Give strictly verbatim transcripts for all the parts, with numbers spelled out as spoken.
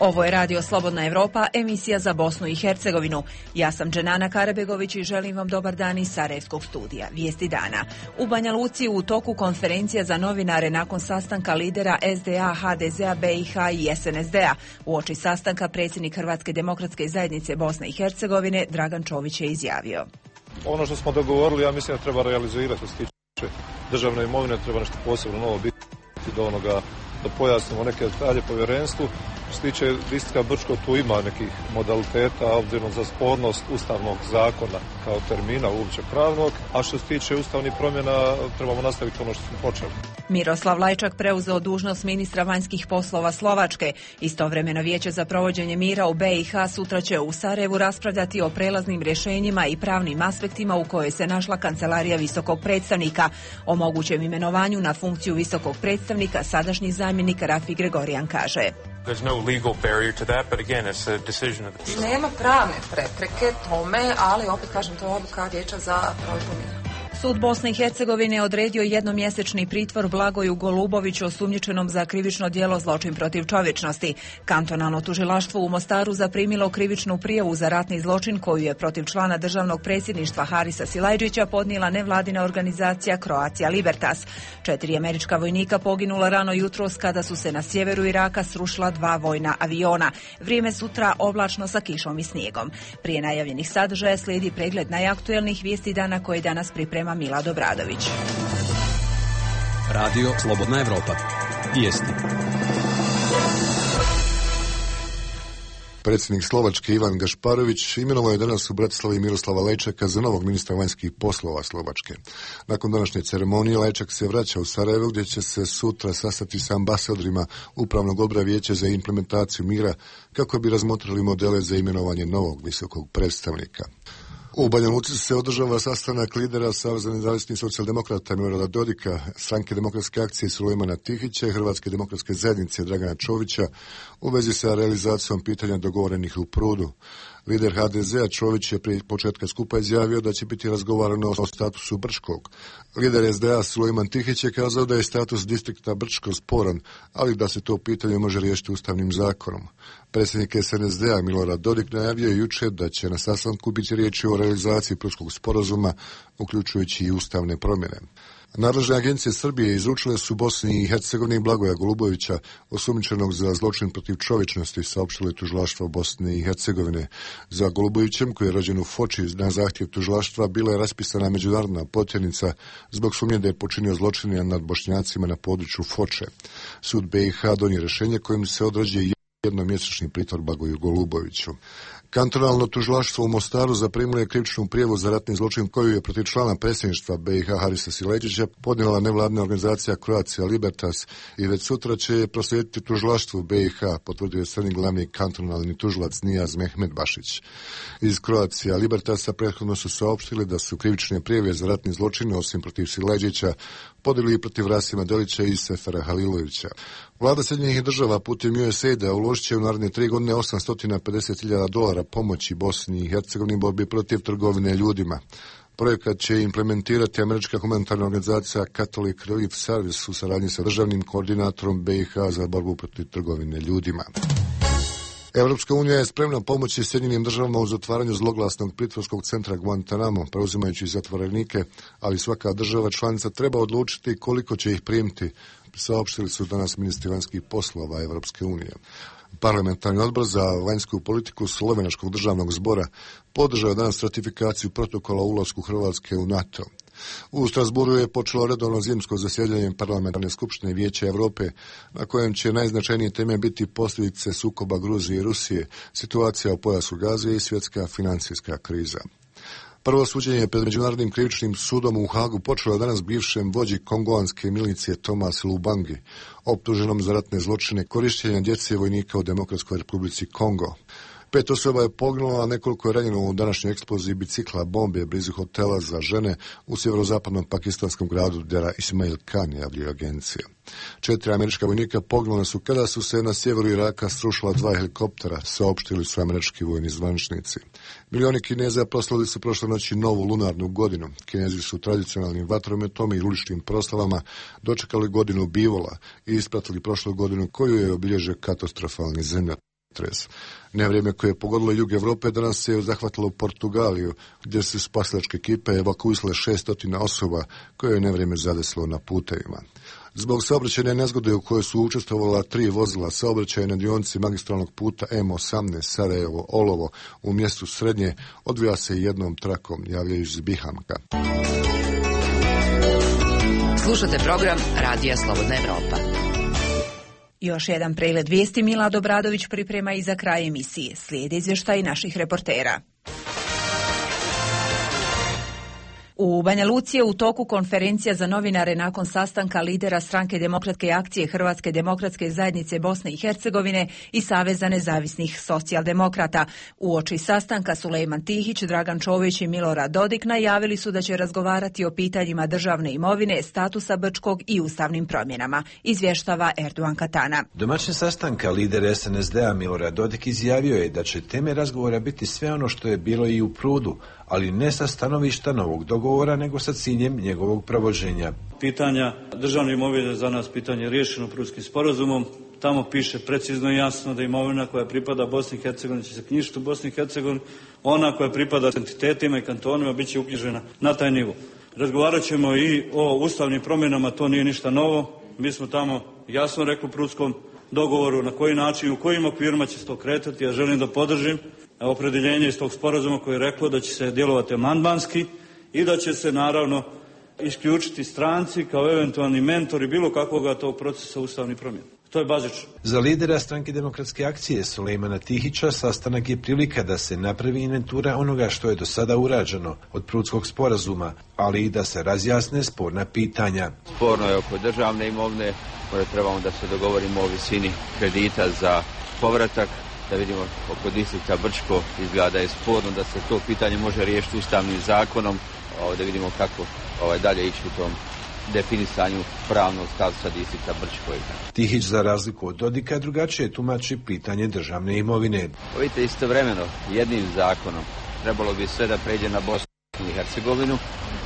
Ovo je Radio Slobodna Evropa, emisija za Bosnu i Hercegovinu. Ja sam Dženana Karabegović i želim vam dobar dan iz Sarajevskog studija. Vijesti dana. U Banja Luci u toku konferencija za novinare nakon sastanka lidera S D A, H D Z-a, B i H i S N S D-a. Uoči sastanka predsjednik Hrvatske demokratske zajednice Bosne i Hercegovine Dragan Čović je izjavio. Ono što smo dogovorili, ja mislim da treba realizirati što se tiče državne imovine, treba nešto posebno novo biti do onoga da pojasnimo neke detalje povjerenstvu. Što se tiče distrikta Brčko, tu ima nekih modaliteta, obzirom za spornost ustavnog zakona kao termina uopće pravnog, a što se tiče ustavnih promjena trebamo nastaviti ono što smo počeli. Miroslav Lajčak preuzeo dužnost ministra vanjskih poslova Slovačke. Istovremeno Vijeće za provođenje mira u B i H sutra će u Sarajevu raspravljati o prelaznim rješenjima i pravnim aspektima u kojoj se našla kancelarija visokog predstavnika. O mogućem imenovanju na funkciju visokog predstavnika sadašnji zamjenik Rafi Gregorijan kaže. Nema pravne prepreke tome, ali opet kažem, to je odluka Vijeća za provedbu mira. Sud Bosne i Hercegovine je odredio jednomjesečni pritvor Blagoju Goluboviću osumnjičenom za krivično djelo zločin protiv čovječnosti. Kantonalno tužilaštvo u Mostaru zaprimilo krivičnu prijavu za ratni zločin koju je protiv člana državnog predsjedništva Harisa Silajdžića podnijela nevladina organizacija Croatia Libertas. Četiri američka vojnika poginula rano jutros kada su se na sjeveru Iraka srušila dva vojna aviona. Vrijeme sutra oblačno sa kišom i snijegom. Prije najavljenih sadržaja slijedi pregled najaktuelnijih vijesti dana koje danas priprema Mila Dobradović. Radio Slobodna Evropa. Vijesti. Predsjednik Slovačke Ivan Gašparović imenovao je danas u Bratislavi Miroslava Lajčaka za novog ministra vanjskih poslova Slovačke. Nakon današnje ceremonije Lajčak se vraća u Sarajevo gdje će se sutra sastati sa ambasadorima Upravnog odbora Vijeća za implementaciju mira kako bi razmotrili modele za imenovanje novog visokog predstavnika. U Banja Luci se održava sastanak lidera Saveza nezavisnih socijaldemokrata Milorada Dodika, Stranke demokratske akcije Sulejmana Tihića i Hrvatske demokratske zajednice Dragana Čovića u vezi sa realizacijom pitanja dogovorenih u Prudu. Lider H D Z-a Čović je prije početka skupa izjavio da će biti razgovarano o statusu Brčkog. Lider S D A Sulejman Tihić je kazao da je status distrikta Brčko sporan, ali da se to pitanje može riješiti ustavnim zakonom. Predsjednik S N S D-a Milorad Dodik najavio je jučer da će na sastanku biti riječi o realizaciji Prudskog sporazuma, uključujući i ustavne promjene. Nadležne agencije Srbije izručile su Bosni i Hercegovini Blagoja Golubovića, osumnjičenog za zločin protiv čovječnosti, saopštilo je tužilaštvo Bosne i Hercegovine. Za Golubovićem, koji je rođen u Foči, na zahtjev tužilaštva bila je raspisana međunarodna potjernica zbog sumnje da je počinio zločine nad Bošnjacima na području Foče. Sud B i H donio rješenje kojim se određuje jednomjesečni pritvor Blagoju Goluboviću. Kantonalno tužilaštvo u Mostaru zaprimilo je krivičnu prijavu za ratni zločin koju je protiv člana predsjedništva B i H Harisa Silajdžića podnijela nevladina organizacija Croatia Libertas i već sutra će proslijediti tužilaštvu B i H, potvrdio je strani glavni kantonalni tužilac Nijaz Mehmedbašić. Iz Croatia Libertasa prethodno su saopštili da su krivične prijave za ratni zločin osim protiv Silajdžića podijeli i protiv Rasima Delića i Sefera Halilovića. Vlada Sjedinjenih država putem U S A I D-a uložit će u naredne tri godine osamsto pedeset hiljada dolara pomoći Bosni i Hercegovini u borbi protiv trgovine ljudima. Projekat će implementirati američka humanitarna organizacija Catholic Relief Service u saradnji sa državnim koordinatorom B i H za borbu protiv trgovine ljudima. Europska unija je spremna pomoći Sjedinjenim državama u zatvaranju zloglasnog pritvorskog centra Guantanamo, preuzimajući zatvorenike, ali svaka država članica treba odlučiti koliko će ih primiti, saopštili su danas ministri vanjskih poslova Europske unije. Parlamentarni odbor za vanjsku politiku Slovenačkog državnog zbora podržao danas ratifikaciju protokola o ulasku Hrvatske u NATO. U Strasburu je počelo redovno zimsko zasjedanje parlamentarne skupštine Vijeća Europe, na kojem će najznačajnije teme biti posljedice sukoba Gruzije i Rusije, situacija u pojasu Gaze i svjetska financijska kriza. Prvo suđenje pred Međunarodnim krivičnim sudom u Hagu počelo je danas bivšem vođi kongoanske milicije Thomas Lubangi, optuženom za ratne zločine korištenja djece vojnika u Demokratskoj republici Kongo. Pet osoba je poginulo, a nekoliko je ranjeno u današnjoj eksploziji bicikla bombe blizu hotela za žene u sjeverozapadnom pakistanskom gradu Dera Ismail Khan, javljaju agencije. Četiri američka vojnika poginula su kada su se na sjeveru Iraka srušila dva helikoptera, saopštili su američki vojni zvaničnici. Milioni Kineza proslavili su prošle noći novu lunarnu godinu. Kinezi su tradicionalnim vatrometom i uličnim proslavama dočekali godinu bivola i ispratili prošlu godinu koju je obilježio katastrofalni zemljotres. Tres. Nevrijeme koje je pogodilo jug Evrope danas se zahvatilo Portugaliju, gdje su spasilačke ekipe evakuisale šestotina osoba koje je nevrijeme zadesilo na putevima. Zbog saobraćajne nezgode u kojoj su učestvovala tri vozila saobraćaja na dionici magistralnog puta M osamnaest Sarajevo-Olovo u mjestu Srednje odvija se jednom trakom, javljaju iz Bihamka. Slušate program Radija Slobodna Evropa. Još jedan pregled vijesti Milad Obradović priprema i za kraj emisije. Slijede izvještaji naših reportera. U Banja Luci je u toku konferencija za novinare nakon sastanka lidera stranke Demokratske akcije Hrvatske demokratske zajednice Bosne i Hercegovine i Saveza nezavisnih socijaldemokrata. Uoči sastanka Sulejman Tihić, Dragan Čović i Milorad Dodik najavili su da će razgovarati o pitanjima državne imovine, statusa Brčkog i ustavnim promjenama, izvještava Erdogan Katana. Domaćin sastanka lider S N S D-a Milorad Dodik izjavio je da će teme razgovora biti sve ono što je bilo i u Prudu, ali ne sa stanovišta novog dogovora, nego sa ciljem njegovog provođenja. Pitanja državne imovine za nas pitanje riješeno Prudskim sporazumom. Tamo piše precizno i jasno da imovina koja pripada Bosni i Hercegovini će se knjižiti u Bosni i Hercegovini, ona koja pripada entitetima i kantonima bit će uknjižena na taj nivo. Razgovarat ćemo i o ustavnim promjenama, to nije ništa novo. Mi smo tamo jasno rekli u Prudskom dogovoru na koji način, u kojim okvirima će se to kretati. Ja želim da podržim opredjeljenje iz tog sporazuma koje je reklo da će se djelovati amandmanski i da će se naravno isključiti stranci kao eventualni mentori bilo kakvoga tog procesa ustavnih promjena. To je bazično. Za lidera stranke Demokratske akcije Sulejmana Tihića sastanak je prilika da se napravi inventura onoga što je do sada urađeno od Prudskog sporazuma, ali i da se razjasne sporna pitanja. Sporno je oko državne imovine, možda trebamo da se dogovorimo o visini kredita za povratak, da vidimo oko distrikta Brčko izgleda je sporno da se to pitanje može riješiti ustavnim zakonom, da vidimo kako ovaj, dalje ići u tom definisanju pravnog statusa distrikta Brčko. Tihić za razliku od Dodika drugačije tumači pitanje državne imovine. Vidite, istovremeno jednim zakonom trebalo bi sve da pređe na Bosnu i Hercegovinu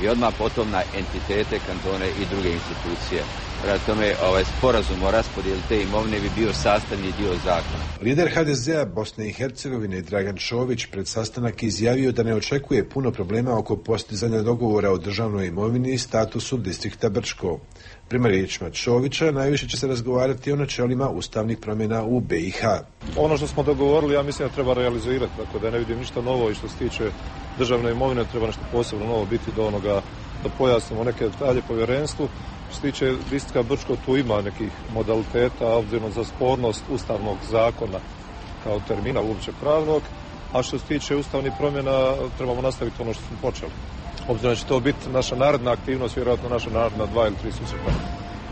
i odmah potom na entitete, kantone i druge institucije. Prema tome, ovaj sporazum o raspodjeli te imovine bi bio sastavni dio zakona. Lider H D Z-a Bosne i Hercegovine Dragan Čović pred sastanak izjavio da ne očekuje puno problema oko postizanja dogovora o državnoj imovini i statusu distrikta Brčko. Prema riječima Čovića, najviše će se razgovarati o načelima ustavnih promjena u B i H. Ono što smo dogovorili, ja mislim da treba realizirati, tako da ne vidim ništa novo i što se tiče državne imovine, treba nešto posebno novo biti do onoga da pojasnimo neke detalje povjerenstvu. Što se tiče distrikta Brčko, tu ima nekih modaliteta, obzirom za spornost ustavnog zakona kao termina uopće pravnog, a što se tiče ustavnih promjena, trebamo nastaviti ono što smo počeli. Obzirom da će to biti naša naredna aktivnost, vjerojatno naša naredna dva ili tri susreta,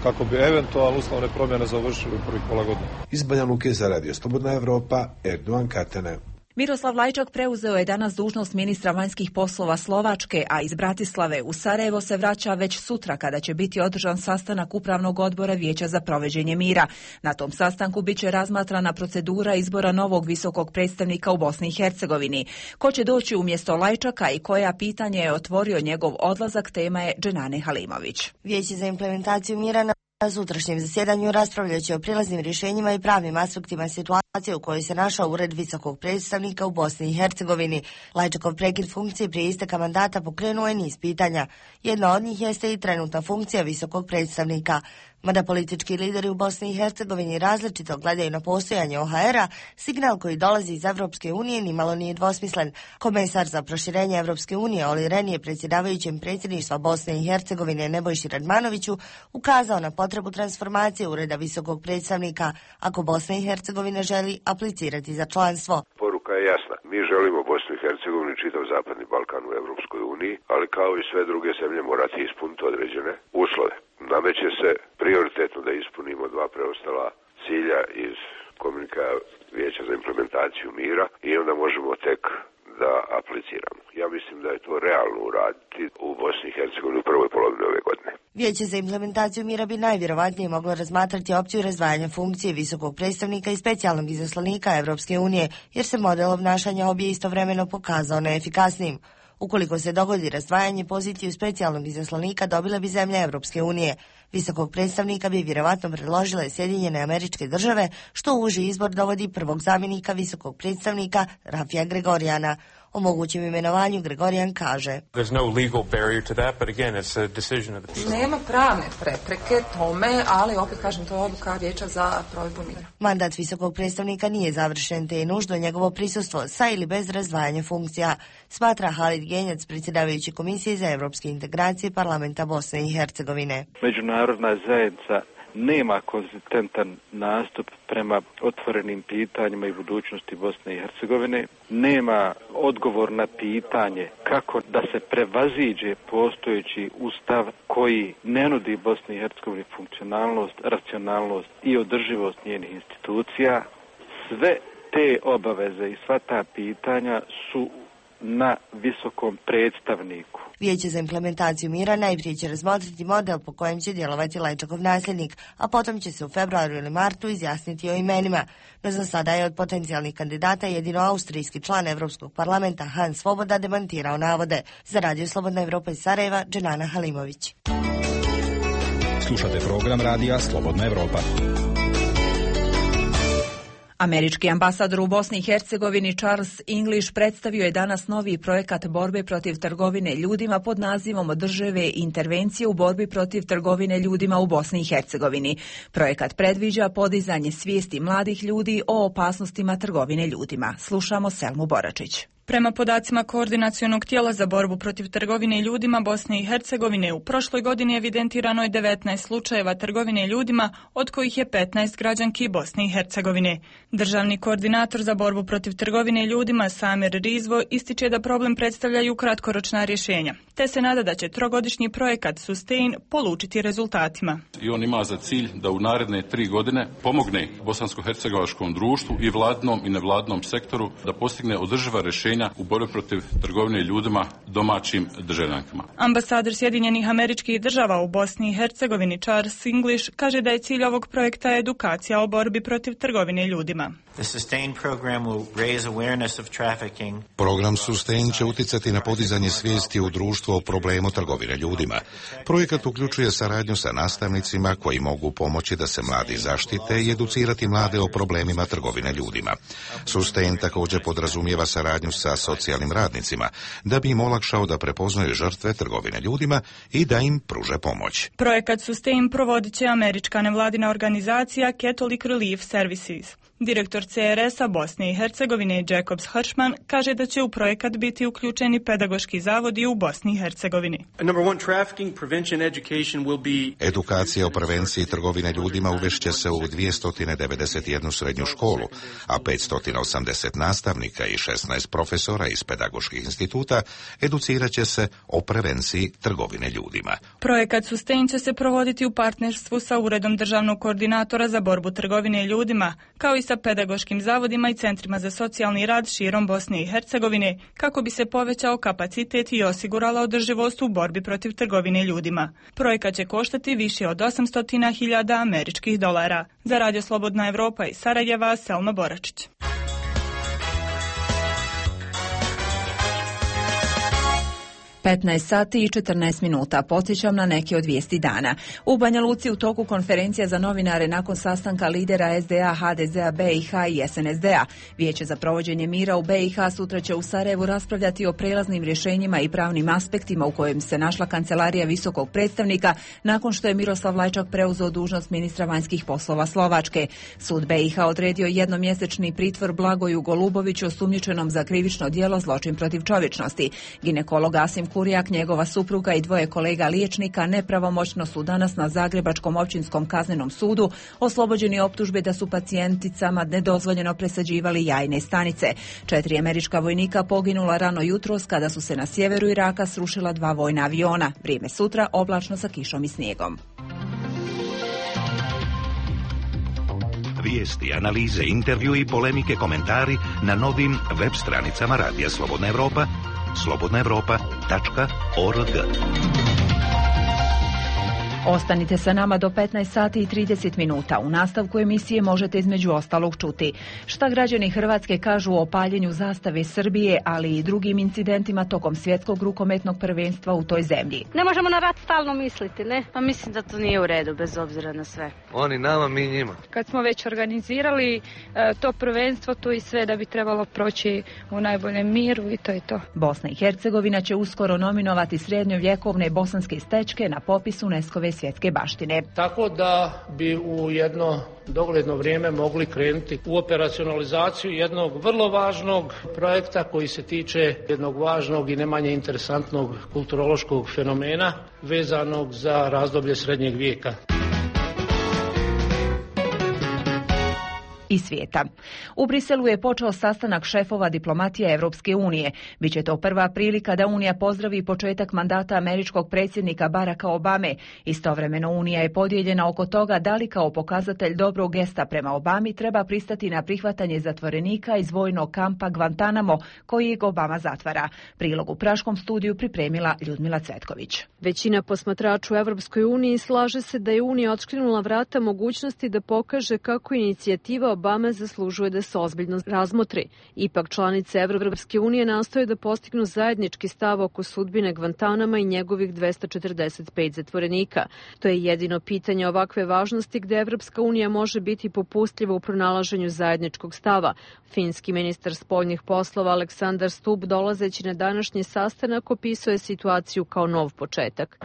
kako bi eventualno ustavne promjene završili u prvih pola godine. Iz Banja Luke za Radio Slobodna Evropa, Erdogan Katana. Miroslav Lajčak preuzeo je danas dužnost ministra vanjskih poslova Slovačke, a iz Bratislave u Sarajevo se vraća već sutra kada će biti održan sastanak Upravnog odbora Vijeća za provođenje mira. Na tom sastanku biće razmatrana procedura izbora novog visokog predstavnika u Bosni i Hercegovini. Ko će doći umjesto Lajčaka i koja pitanje je otvorio njegov odlazak, tema je Dženane Halimović. Vijeće za implementaciju mira na Na sutrašnjem zasjedanju raspravljat će o prilaznim rješenjima i pravnim aspektima situacije u kojoj se našao ured visokog predstavnika u Bosni i Hercegovini. Lajčakov prekid funkcije prije isteka mandata pokrenuo je niz pitanja. Jedna od njih jeste i trenutna funkcija visokog predstavnika. Mada politički lideri u Bosni i Hercegovini različito gledaju na postojanje O H R-a, signal koji dolazi iz Evropske unije nimalo nije dvosmislen. Komesar za proširenje Evropske unije Oli Ren je predsjedavajućem predsjedništva Bosne i Hercegovine Nebojši Radmanoviću ukazao na potrebu transformacije ureda visokog predstavnika ako Bosna i Hercegovina želi aplicirati za članstvo. Poruka je jasna. Mi želimo Bosnu i Hercegovinu i čitav Zapadni Balkan u Evropskoj uniji, ali kao i sve druge zemlje morati ispuniti određene uslove. Nameće se prioritetno da ispunimo dva preostala cilja iz komunika Vijeća za implementaciju mira i onda možemo tek da apliciramo. Ja mislim da je to realno uraditi u Bosni i Hercegovini u prvoj polovini ove godine. Vijeće za implementaciju mira bi najvjerovatnije moglo razmatrati opciju razdvajanja funkcije visokog predstavnika i specijalnog izaslanika Evropske unije, jer se model obnašanja obje istovremeno pokazao neefikasnim. Ukoliko se dogodi razdvajanje, poziciju specijalnog izaslanika dobile bi zemlje Evropske unije. Visokog predstavnika bi vjerovatno predložile Sjedinjene Američke Države, što u uži izbor dovodi prvog zamjenika visokog predstavnika Rafija Gregoriana. O mogućem imenovanju Gregorian kaže: Nema pravne prepreke tome, ali opet kažem, to je odluka Vijeća za provedbu mira. Mandat visokog predstavnika nije završen, te je nužno njegovo prisustvo sa ili bez razdvajanja funkcija, smatra Halid Genjac, predsjedavajući Komisije za europske integracije Parlamenta Bosne i Hercegovine. Međunarodna zajednica nema konzistentan nastup prema otvorenim pitanjima i budućnosti Bosne i Hercegovine, nema odgovor na pitanje kako da se prevaziđe postojeći ustav koji ne nudi Bosni i Hercegovini funkcionalnost, racionalnost i održivost njenih institucija. Sve te obaveze i sva ta pitanja su na visokom predstavniku. Vijeće za implementaciju mira najprije će razmotriti model po kojem će djelovati Lajčakov nasljednik, a potom će se u februaru ili martu izjasniti o imenima. No za sada je od potencijalnih kandidata jedino austrijski član Europskog parlamenta Hans Svoboda demantirao navode. Za Radio Slobodna Evropa iz Sarajeva, Dženana Halimović. Slušate program Radija Slobodna Evropa. Američki ambasador u Bosni i Hercegovini Charles English predstavio je danas novi projekat borbe protiv trgovine ljudima pod nazivom Održive intervencije u borbi protiv trgovine ljudima u Bosni i Hercegovini. Projekat predviđa podizanje svijesti mladih ljudi o opasnostima trgovine ljudima. Slušamo Selmu Boračić. Prema podacima Koordinacionog tijela za borbu protiv trgovine ljudima Bosne i Hercegovine, u prošloj godini evidentirano je devetnaest slučajeva trgovine ljudima, od kojih je petnaest građanki Bosne i Hercegovine. Državni koordinator za borbu protiv trgovine ljudima Samir Rizvo ističe da problem predstavljaju kratkoročna rješenja, te se nada da će trogodišnji projekat Sustain polučiti rezultatima. I on ima za cilj da u naredne tri godine pomogne bosansko-hercegovačkom društvu i vladnom i nevladnom sektoru da postigne održiva rješenja u borbi protiv trgovine ljudima domaćim državljankama. Ambasador Sjedinjenih Američkih Država u Bosni i Hercegovini Charles English kaže da je cilj ovog projekta edukacija o borbi protiv trgovine ljudima. Program Sustain će utjecati na podizanje svijesti u društvu o problemu trgovine ljudima. Projekat uključuje saradnju sa nastavnicima koji mogu pomoći da se mladi zaštite i educirati mlade o problemima trgovine ljudima. Sustain također podrazumijeva saradnju sa socijalnim radnicima da bi im olakšao da prepoznaju žrtve trgovine ljudima i da im pruže pomoć. Projekat Sustain provodit će američka nevladina organizacija Catholic Relief Services. Direktor C R S-a Bosne i Hercegovine Jacobs Hirschman kaže da će u projekat biti uključeni pedagoški zavodi u Bosni i Hercegovini. Edukacija o prevenciji trgovine ljudima uvešće se u dvjesto devedeset jednu srednju školu, a petsto osamdeset nastavnika i šesnaest profesora iz pedagoških instituta educirat će se o prevenciji trgovine ljudima. Projekat Sustain će se provoditi u partnerstvu sa Uredom državnog koordinatora za borbu trgovine ljudima, kao i sa pedagoškim zavodima i centrima za socijalni rad širom Bosne i Hercegovine, kako bi se povećao kapacitet i osigurala održivost u borbi protiv trgovine ljudima. Projekat će koštati više od osamsto hiljada američkih dolara. Za Radio Slobodna Evropa iz Sarajeva, Selma Boračić. petnaest sati i četrnaest minuta. Podsjećam na neke od vijesti dana. U Banja Luci u toku konferencija za novinare nakon sastanka lidera S D A, H D Z A, B i H i S N S D-a. Vijeće za provođenje mira u B i H sutra će u Sarajevu raspravljati o prelaznim rješenjima i pravnim aspektima u kojem se našla kancelarija visokog predstavnika nakon što je Miroslav Lajčak preuzeo dužnost ministra vanjskih poslova Slovačke. Sud B i H odredio jednomjesečni pritvor Blagoju Goluboviću osumnjičenom za krivično djelo zločin protiv čovječnosti. Ginekolog Asim Kurjak, njegova supruga i dvoje kolega liječnika nepravomoćno su danas na Zagrebačkom općinskom kaznenom sudu oslobođeni optužbe da su pacijenticama nedozvoljeno presađivali jajne stanice. Četiri američka vojnika poginula rano jutros kada su se na sjeveru Iraka srušila dva vojna aviona. Vrijeme sutra oblačno sa kišom i snijegom. Vijesti, analize, intervju i polemike, komentari na novim web stranicama Radija Slobodna Evropa, slobodna evropa tačka org. Ostanite sa nama do petnaest sati i trideset minuta. U nastavku emisije možete između ostalog čuti šta građani Hrvatske kažu o paljenju zastave Srbije, ali i drugim incidentima tokom svjetskog rukometnog prvenstva u toj zemlji. Ne možemo na rat stalno misliti, ne? Pa mislim da to nije u redu, bez obzira na sve. Oni nama, mi njima. Kad smo već organizirali e, to prvenstvo, to i sve da bi trebalo proći u najboljem miru i to je to. Bosna i Hercegovina će uskoro nominovati srednjovjekovne bosanske stečke na popis UNESCO-ve svjetske baštine. Tako da bi u jedno dogledno vrijeme mogli krenuti u operacionalizaciju jednog vrlo važnog projekta koji se tiče jednog važnog i ne manje interesantnog kulturološkog fenomena vezanog za razdoblje srednjeg vijeka. I svijeta. U Briselu je počeo sastanak šefova diplomatije Europske unije. Biće to prva prilika da Unija pozdravi početak mandata američkog predsjednika Baracka Obame. Istovremeno Unija je podijeljena oko toga da li kao pokazatelj dobrog gesta prema Obami treba pristati na prihvatanje zatvorenika iz vojnog kampa Guantanamo koji Obama zatvara. Prilog u Praškom studiju pripremila Ljudmila Cvetković. Većina posmatrača u Europskoj uniji slaže se da je Unija otškrinula vrata mogućnosti da pokaže kako inicijativa Obama zaslužuje da se ozbiljno razmotri. Ipak članice Evropske unije nastoje da postignu zajednički stav oko sudbine Guantanama i njegovih dvesta četrdeset pet zatvorenika. To je jedino pitanje ovakve važnosti gde Evropska unija može biti popustljiva u pronalaženju zajedničkog stava. Finski ministar spoljnih poslova Aleksandar Stubb, dolazeći na današnji sastanak, opisuje situaciju kao nov početak.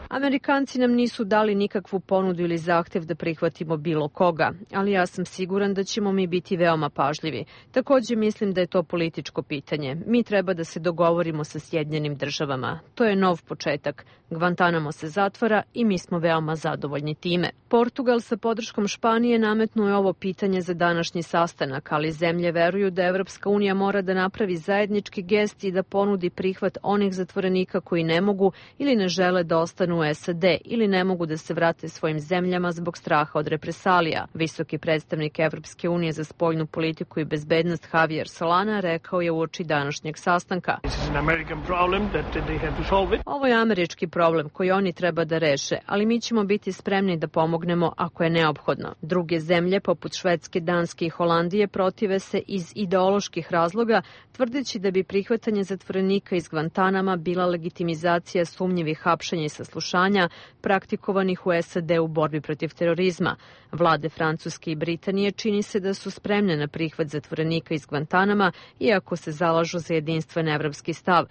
Amerikanci nam nisu dali nikakvu ponudu ili zahtev da prihvatimo bilo koga, ali ja sam siguran da ćemo mi biti veoma pažljivi. Također mislim da je to političko pitanje. Mi treba da se dogovorimo sa Sjedinjenim državama. To je nov početak. Guantanamo se zatvara i mi smo veoma zadovoljni time. Portugal sa podrškom Španije nametnuo je ovo pitanje za današnji sastanak, ali zemlje veruju da Evropska unija mora da napravi zajednički gest i da ponudi prihvat onih zatvorenika koji ne mogu ili ne žele da ostanu u S A D ili ne mogu da se vrate svojim zemljama zbog straha od represalija. Visoki predstavnik Evropske unije za spoljnu politiku i bezbednost Javier Solana rekao je uoči današnjeg sastanka. Ovo je američki problem koji oni treba da reše, ali mi ćemo biti spremni da pomognemo ako je neophodno. Druge zemlje, poput Švedske, Danske i Holandije, protive se iz ideoloških razloga, tvrdeći da bi prihvatanje zatvorenika iz Guantanama bila legitimizacija sumnjivih hapšenja i saslušanja praktikovanih u S A D u borbi protiv terorizma. Vlade Francuske i Britanije čini se da su spremne na prihvat zatvorenika iz Guantanama, iako se zalažu za jedinstven evropski stav.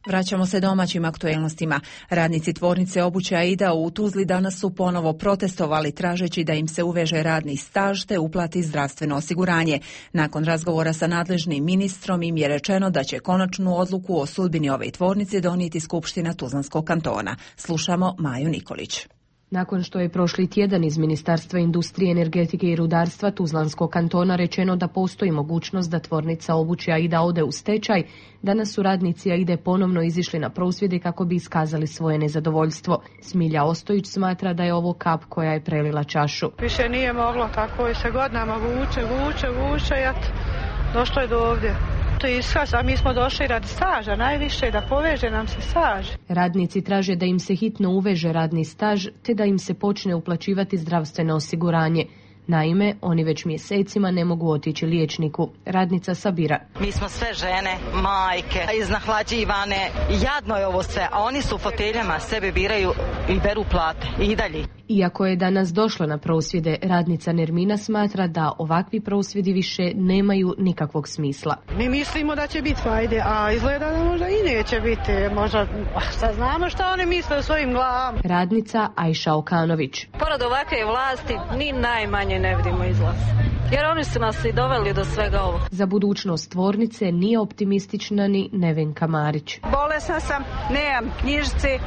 Vraćamo se domaćim aktuelnostima. Radnici tvornice obuće Aida u Tuzli danas su ponovo protestovali tražeći da im se uveže radni staž te uplati zdravstveno osiguranje. Nakon razgovora sa nadležnim ministrom im je rečeno da će konačnu odluku o sudbini ove tvornice donijeti Skupština Tuzlanskog kantona. Slušamo Maju Nikolić. Nakon što je prošli tjedan iz Ministarstva industrije, energetike i rudarstva Tuzlanskog kantona rečeno da postoji mogućnost da tvornica obuće Aida ode u stečaj, danas su radnici Aide ponovno izišli na prosvjede kako bi iskazali svoje nezadovoljstvo. Smilja Ostojić smatra da je ovo kap koja je prelila čašu. Više nije moglo, tako je se godinama vuče, vuče, vuče i eto, došlo je do ovdje. To je iskaz, a mi smo došli radi staža, najviše da poveže nam se staž. Radnici traže da im se hitno uveže radni staž, te da im se počne uplaćivati zdravstveno osiguranje. Naime, oni već mjesecima ne mogu otići liječniku. Radnica Sabira. Mi smo sve žene, majke, iznahlađivane. Jadno je ovo sve, a oni su u foteljama, sebe biraju i beru plate. I dalje. Iako je danas došlo na prosvjede, radnica Nermina smatra da ovakvi prosvjedi više nemaju nikakvog smisla. Mi mislimo da će biti fajde, a izgleda da možda i neće biti. Možda, sad znamo šta oni misle o svojim glavama. Radnica Ajša Okanović. Pored ovakve vlasti, ni najmanje ne vidimo izlaz. Jer oni su nas i doveli do svega ovog. Za budućnost tvornice nije optimistična ni Nevenka Marić. Bolesna sam, nemam knjižice, e,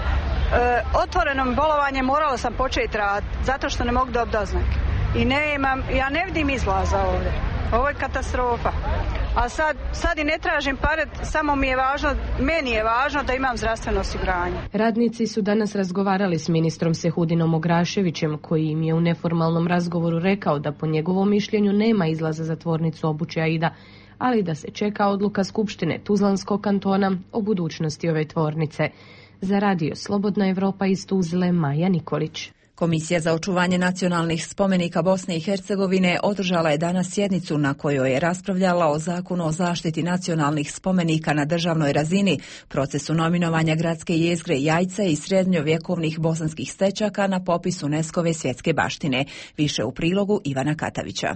otvorenom bolovanjem morala sam početi raditi, zato što ne mogu dobiti doznake. I nemam, ja ne vidim izlaza ovdje. Ovo je katastrofa. A sad, sad i ne tražim pare, samo mi je važno, meni je važno da imam zdravstveno osiguranje. Radnici su danas razgovarali s ministrom Sehudinom Ograševićem, koji im je u neformalnom razgovoru rekao da po njegovom mišljenju nema izlaza za tvornicu obuće Aida, ali da se čeka odluka Skupštine Tuzlanskog kantona o budućnosti ove tvornice. Za radio Slobodna Evropa iz Tuzle, Maja Nikolić. Komisija za očuvanje nacionalnih spomenika Bosne i Hercegovine održala je danas sjednicu na kojoj je raspravljala o zakonu o zaštiti nacionalnih spomenika na državnoj razini, procesu nominovanja gradske jezgre Jajca i srednjovjekovnih bosanskih stečaka na popis UNESCO-ve svjetske baštine. Više u prilogu Ivana Katavića.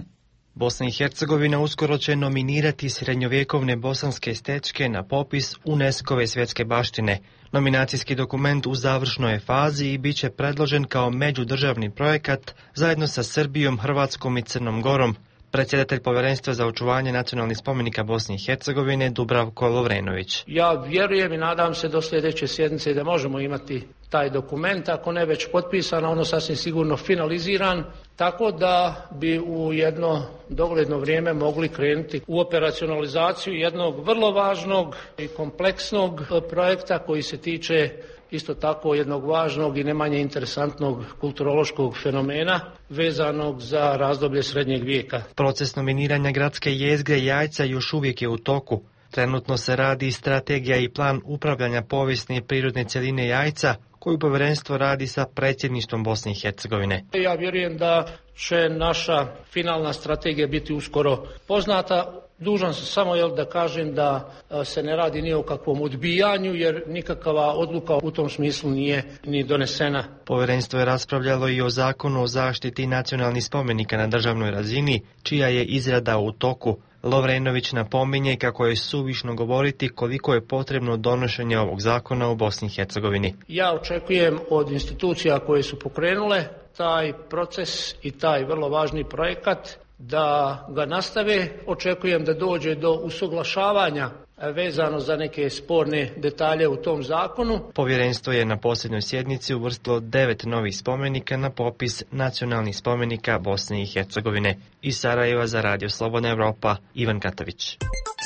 Bosna i Hercegovina uskoro će nominirati srednjovjekovne bosanske stečke na popis UNESCO-ve svjetske baštine. Nominacijski dokument u završnoj je fazi i bit će predložen kao međudržavni projekat zajedno sa Srbijom, Hrvatskom i Crnom Gorom. Predsjedatelj Povjerenstva za očuvanje nacionalnih spomenika Bosne i Hercegovine Dubravko Lovrenović. Ja vjerujem i nadam se do sljedeće sjednice da možemo imati taj dokument, ako ne već potpisan, ono sasvim sigurno finaliziran, tako da bi u jedno dogledno vrijeme mogli krenuti u operacionalizaciju jednog vrlo važnog i kompleksnog projekta koji se tiče isto tako jednog važnog i ne manje interesantnog kulturološkog fenomena vezanog za razdoblje srednjeg vijeka. Proces nominiranja gradske jezgre Jajca još uvijek je u toku. Trenutno se radi strategija i plan upravljanja povijesne i prirodne cjeline Jajca, koju povjerenstvo radi sa predsjedništvom Bosne i Hercegovine. Ja vjerujem da će naša finalna strategija biti uskoro poznata. Dužan sam samo jel, da kažem da se ne radi ni o kakvom odbijanju, jer nikakva odluka u tom smislu nije ni donesena. Povjerenstvo je raspravljalo i o zakonu o zaštiti nacionalnih spomenika na državnoj razini, čija je izrada u toku. Lovrenović napominje kako je suvišno govoriti koliko je potrebno donošenje ovog zakona u Bosni i Hercegovini. Ja očekujem od institucija koje su pokrenule taj proces i taj vrlo važni projekat da ga nastave. Očekujem da dođe do usuglašavanja vezano za neke sporne detalje u tom zakonu. Povjerenstvo je na posljednjoj sjednici uvrstilo devet novih spomenika na popis nacionalnih spomenika Bosne i Hercegovine. Iz Sarajeva za radio Slobodna Evropa, Ivan Katavić.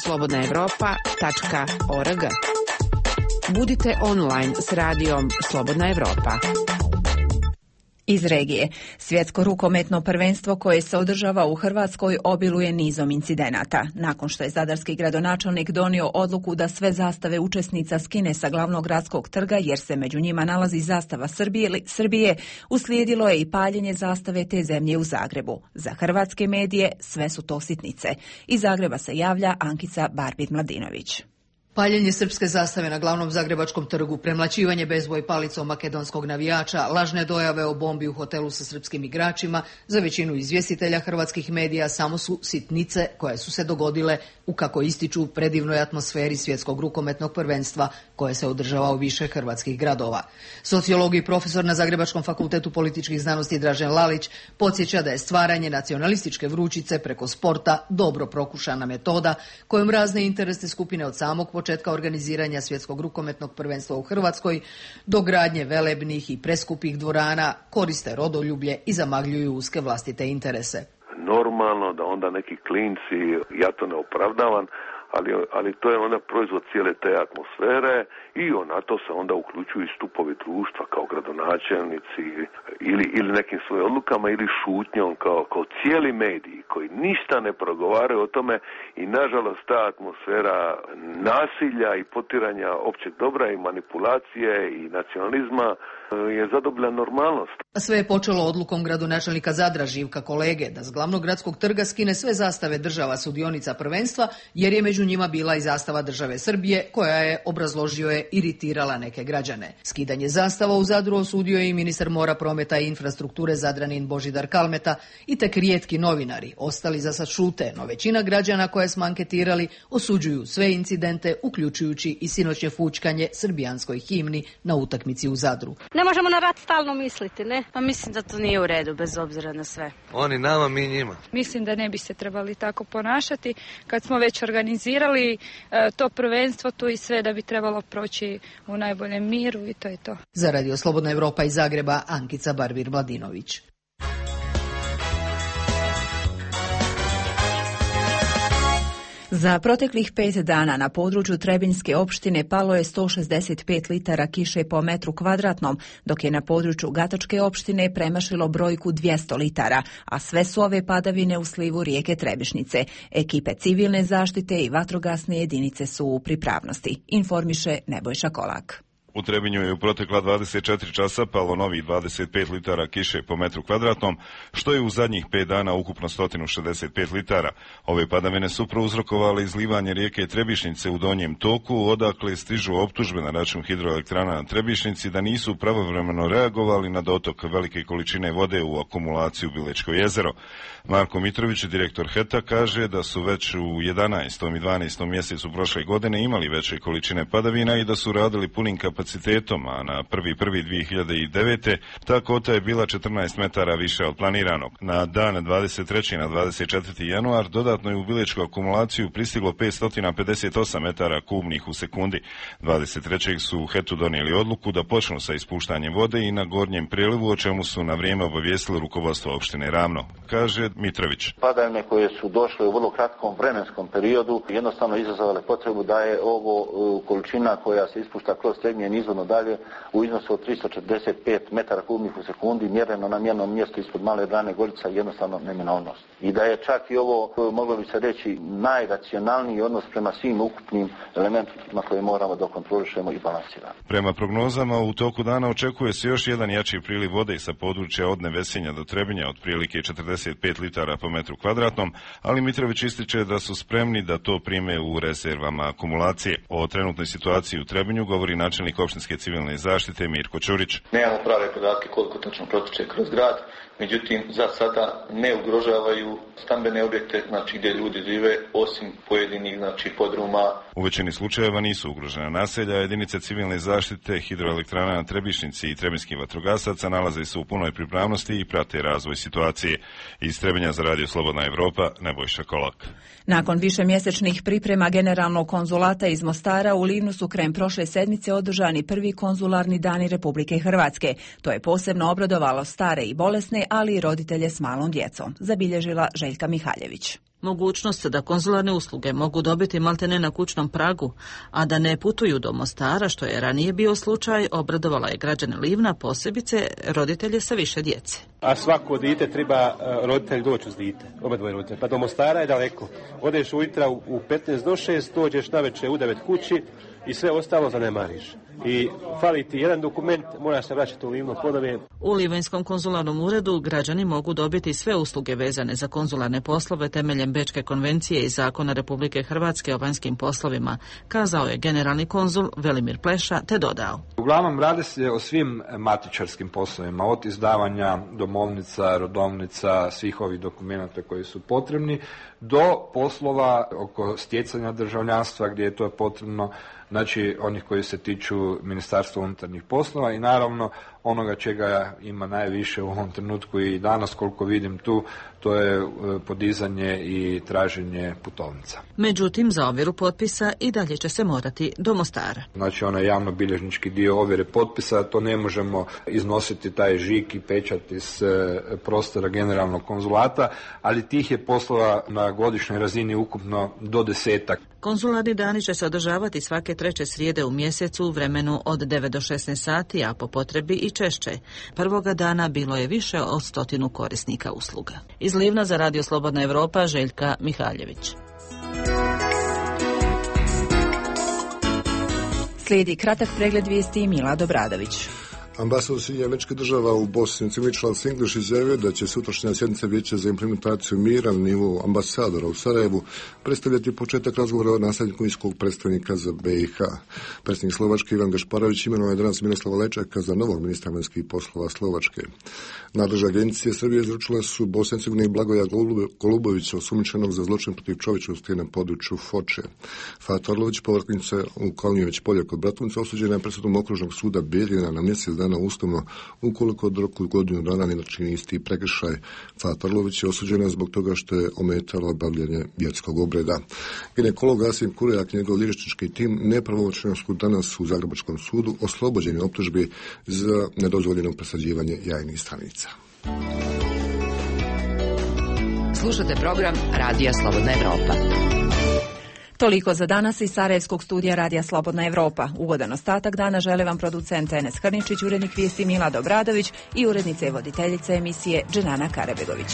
slobodna evropa tačka org. Budite online s radijom Slobodna Evropa. Iz regije. Svjetsko rukometno prvenstvo koje se održava u Hrvatskoj obiluje nizom incidenata. Nakon što je zadarski gradonačelnik donio odluku da sve zastave učesnica skine sa glavnog gradskog trga jer se među njima nalazi zastava Srbije, Srbije, uslijedilo je i paljenje zastave te zemlje u Zagrebu. Za hrvatske medije sve su to sitnice. Iz Zagreba se javlja Ankica Barbir-Mladinović. Paljenje srpske zastave na glavnom zagrebačkom trgu, premlaćivanje bezboj palicom makedonskog navijača, lažne dojave o bombi u hotelu sa srpskim igračima, za većinu izvjestitelja hrvatskih medija samo su sitnice koje su se dogodile u, kako ističu, predivnoj atmosferi svjetskog rukometnog prvenstva koje se održava u više hrvatskih gradova. Sociolog i profesor na Zagrebačkom fakultetu političkih znanosti Dražen Lalić podsjeća da je stvaranje nacionalističke vrućice preko sporta dobro prokušana metoda kojom razne interesne skupine od samog početka organiziranja svjetskog rukometnog prvenstva u Hrvatskoj do gradnje velebnih i preskupih dvorana koriste rodoljublje i zamagljuju uske vlastite interese. Normalno da onda neki klinci, ja to ne opravdavam, ali, ali to je onda proizvod cijele te atmosfere i na to se onda uključuju i stupovi društva kao gradonačelnici ili, ili nekim svojim odlukama ili šutnjom kao, kao cijeli mediji koji ništa ne progovaraju o tome i nažalost ta atmosfera nasilja i potiranja općeg dobra i manipulacije i nacionalizma je zadobila normalnost. Sve je počelo odlukom gradonačelnika Zadra Živka Kolege da s glavnog gradskog trga skine sve zastave država sudionica prvenstva jer je među njima bila i zastava države Srbije koja je, obrazložio je, iritirala neke građane. Skidanje zastava u Zadru osudio je i ministar mora, prometa i infrastrukture Zadranin Božidar Kalmeta i tek rijetki novinari. Ostali za sad šute, no većina građana koje smo anketirali osuđuju sve incidente, uključujući i sinoćnje fućkanje srbijanskoj himni na utakmici u Zadru. Ne možemo na rat stalno misliti, ne? Pa mislim da to nije u redu, bez obzira na sve. Oni nama, mi njima. Mislim da ne bi se trebali tako ponašati. Kad smo već organizirali e, to prvenstvo, tu i sve da bi trebalo proći u najboljem miru i to je to. Za radio Slobodna Evropa iz Zagreba, Ankica Barbir-Mladinović. Za proteklih pet dana na području Trebinjske opštine palo je sto šezdeset pet litara kiše po metru kvadratnom, dok je na području Gatačke opštine premašilo brojku dvjesto litara, a sve su ove padavine u slivu rijeke Trebišnice. Ekipe civilne zaštite i vatrogasne jedinice su u pripravnosti, informiše Nebojša Kolak. U Trebinju je u protekla dvadeset četiri časa palo novih dvadeset pet litara kiše po metru kvadratnom, što je u zadnjih pet dana ukupno sto šezdeset pet litara. Ove padavine su prouzrokovale izlivanje rijeke Trebišnice u donjem toku, odakle stižu optužbe na račun hidroelektrana na Trebišnici da nisu pravovremeno reagovali na dotok velike količine vode u akumulaciju Bilečko jezero. Marko Mitrović, direktor H E T A, kaže da su već u jedanaestom i dvanaestom mjesecu prošle godine imali veće količine padavina i da su radili punim kapacitetom, a na prvi prvi dvije hiljade devete. ta kota je bila četrnaest metara više od planiranog. Na dan dvadeset trećeg na dvadeset četvrti januar dodatno je u Bilečku akumulaciju pristiglo petsto pedeset osam metara kubnih u sekundi. dvadeset trećeg su u H E T U donijeli odluku da počnu sa ispuštanjem vode i na gornjem prelivu, o čemu su na vrijeme obavijestili rukovodstvo opštine Ravno, kaže Mitrović. Padavine koje su došle u vrlo kratkom vremenskom periodu jednostavno izazvale potrebu da je ovo količina koja se ispušta kroz Trebinje izvodno dalje u iznosu od tristo četrdeset pet metara kubnih u sekundi mjereno na mjernom mjestu ispod Male Drane Gorica jednostavno neminovnost. I da je čak i ovo, moglo bi se reći, najracionalniji odnos prema svim ukupnim elementima koje moramo da kontrolišemo i balansiramo. Prema prognozama u toku dana očekuje se još jedan jači priliv vode sa područja od Nevesinja do Trebinja, otprilike četrdeset pet litara po metru kvadratnom, ali Mitrović ističe da su spremni da to prime u rezervama akumulacije. O trenutnoj situaciji u Trebinju govori načelnik opštinske civilne zaštite Mirko Ćurić. Nemamo prave podatke koliko točno protiče kroz grad, međutim za sada ne ugrožavaju stambene objekte, znači gdje ljudi žive, osim pojedinih znači podruma. U većini slučajeva nisu ugrožena naselja, jedinice civilne zaštite, hidroelektrana na Trebišnici i trebinskih vatrogasaca nalaze se u punoj pripravnosti i prate razvoj situacije. Iz Trebinja za Radio Slobodna Evropa, Nebojša Kolak. Nakon višemjesečnih priprema Generalnog konzulata iz Mostara u Livnu su krajem prošle sedmice održani prvi konzularni dani Republike Hrvatske. To je posebno obradovalo stare i bolesne, ali i roditelje s malom djecom, zabilježila Željka Mihaljević. Mogućnost da konzularne usluge mogu dobiti maltene na kućnom pragu, a da ne putuju do Mostara, što je ranije bio slučaj, obradovala je građane Livna, posebice roditelje sa više djece. A svako dite treba roditelj doći uz dite, oba dvoje roditelje, pa do Mostara je daleko. Odeš ujutro u petnaest do šest, dođeš navečer u devet kući i sve ostalo zanemariš. I fali ti jedan dokument, moraš se vraćati u Livno ponovno. U Livanjskom konzularnom uredu građani mogu dobiti sve usluge vezane za konzularne poslove temeljem Bečke konvencije i Zakona Republike Hrvatske o vanjskim poslovima, kazao je generalni konzul Velimir Pleša, te dodao. Uglavnom radi se o svim matičarskim poslovima, od izdavanja domovnica, rodovnica, svih ovih dokumenta koji su potrebni, do poslova oko stjecanja državljanstva gdje je to potrebno, znači onih koji se tiču Ministarstva unutarnjih poslova i naravno onoga čega ima najviše u ovom trenutku i danas koliko vidim tu, to je podizanje i traženje putovnica. Međutim, za ovjeru potpisa i dalje će se morati do Mostara. Znači onaj javnobilježnički dio ovjere potpisa, to ne možemo iznositi taj žig i pečat iz prostora generalnog konzulata, ali tih je poslova na godišnjoj razini ukupno do desetak. Konzularni dani će se održavati svake treće srijede u mjesecu u vremenu od devet do šesnaest sati, a po potrebi i češće. Prvoga dana bilo je više od stotinu korisnika usluga. Iz Livna za Radio Slobodna Evropa, Željka Mihaljević. Slijedi kratak pregled vijesti Mila Dobradović. Ambasador Sjedinjenih Američkih Država u Bosni i Hercegovini Charles English izjavio da će sutrašnja sjednica Vijeća za implementaciju mira na nivou ambasadora u Sarajevu predstavljati početak razgovora o nasljedniku visokog predstavnika za B i H. Predsjednik Slovačke Ivan Gašparović imenovao je danas Miroslava Lečaka za novog ministra vanjskih poslova Slovačke. Nadležne agencije Srbije izručile su Bosni i Hercegovini Blagoja Golubovića, osumnjičenog za zločin protiv čovječnosti na području Foče. Fato Orlović, povrtnica u Kalnjević polje kod Bratunca, osuđena je presudom okružnog suda Bijeljina na mjesec dana uslovno ukoliko od roku godinu dana ne načini isti prekršaj. Fato Orlović je osuđena zbog toga što je ometala obavljanje vjerskog obreda. Ginekolog Asim Kurejak i njegov liječnički tim nepravomoćno su danas u Zagrebačkom sudu oslobođeni optužbi za nedozvoljeno presađivanje jajnih stanica. Slušate program Radija Slobodna Evropa. Toliko za danas iz Sarajevskog studija Radija Slobodna Evropa. Ugodan ostatak dana žele vam producent Enes Hrničić, urednik vijesti Milad Obradović i urednica i voditeljica emisije Dženana Karabegović.